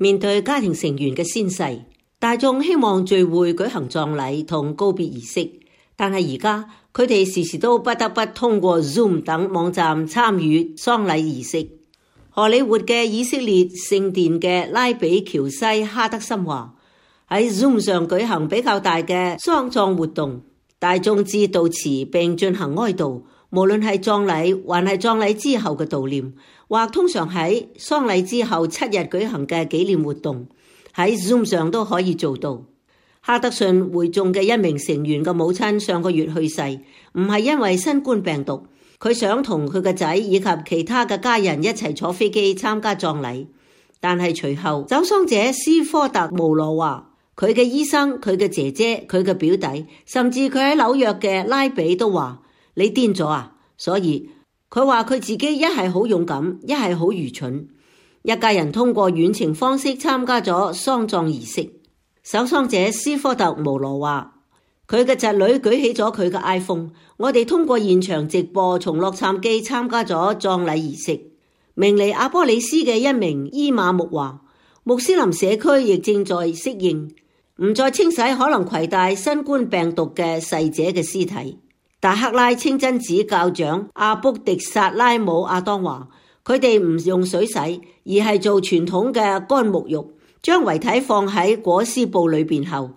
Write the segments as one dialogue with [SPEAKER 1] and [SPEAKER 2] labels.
[SPEAKER 1] 面對家庭成員嘅仙逝，大眾希望聚會舉行葬禮同告別儀式，但係而家佢哋時時都不得不通過 Zoom 等網站參與喪禮儀式。荷里活嘅以色列聖殿嘅拉比喬西哈德森話：喺 Zoom 上舉行比較大嘅喪葬活動，大眾致悼詞並進行哀悼，無論係葬禮還係葬禮之後嘅悼念，或通常喺喪禮之後7日舉行嘅紀念活動，喺 Zoom 上都可以做到。哈德遜會眾嘅一名成員嘅母親上個月去世，唔係因為新冠病毒，佢想同佢嘅仔以及其他嘅家人一齊坐飛機參加葬禮，但係隨後走喪者斯科特穆羅話，佢嘅醫生、佢嘅姐姐、佢嘅表弟，甚至佢喺紐約嘅拉比都話：你癲咗啊！所以佢話佢自己一係好勇敢，一係好愚蠢。一家人通過遠程方式參加咗喪葬儀式。守喪者斯科特穆羅話，佢嘅侄女舉起咗佢嘅 iPhone， 我哋通過現場直播從洛杉磯參加咗葬禮儀式。明尼阿波里斯嘅一名伊馬木話，穆斯林社區亦正在適應，唔再清洗可能攜帶新冠病毒嘅逝者嘅屍體。達克拉清真寺教長阿卜迪薩拉姆阿當話，佢哋唔用水洗，而係做傳統嘅乾沐浴，將遺體放喺裹屍布裏邊後，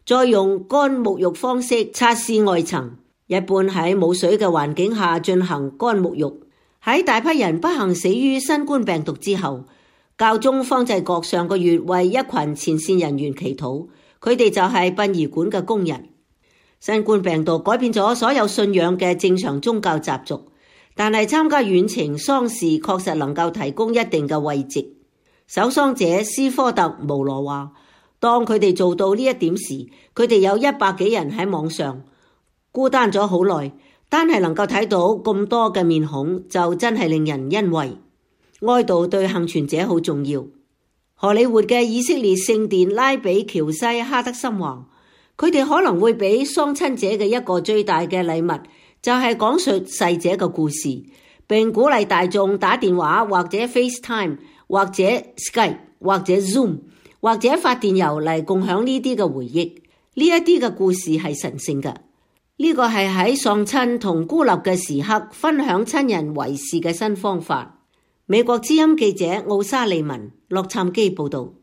[SPEAKER 1] 再用乾沐浴方式擦拭外層，一般喺冇水嘅環境下進行乾沐浴。喺大批人不幸死於新冠病毒之後，教宗方濟各上個月為一群前線人員祈禱，佢哋就係殯儀館嘅工人。新冠病毒改變咗所有信仰嘅正常宗教習俗，但係參加遠程喪事確實能夠提供一定嘅慰藉。守喪者斯科特穆羅話，當佢哋做到呢一點時，佢哋有100幾人喺網上，孤單咗好耐，單係能夠睇到咁多嘅面孔，就真係令人欣慰。哀悼對幸存者好重要。荷里活嘅以色列聖殿拉比喬西哈德森話，佢哋可能會俾喪親者嘅一個最大嘅禮物，就係講述逝者嘅故事，並鼓勵大眾打電話或者 FaceTime 或者 Skype 或者 Zoom 或者發電郵嚟共享呢啲嘅回憶。呢一啲嘅故事係神聖嘅，呢個係喺喪親同孤立嘅時刻分享親人遺事嘅新方法。美國之音記者奧沙利文，洛杉磯報道。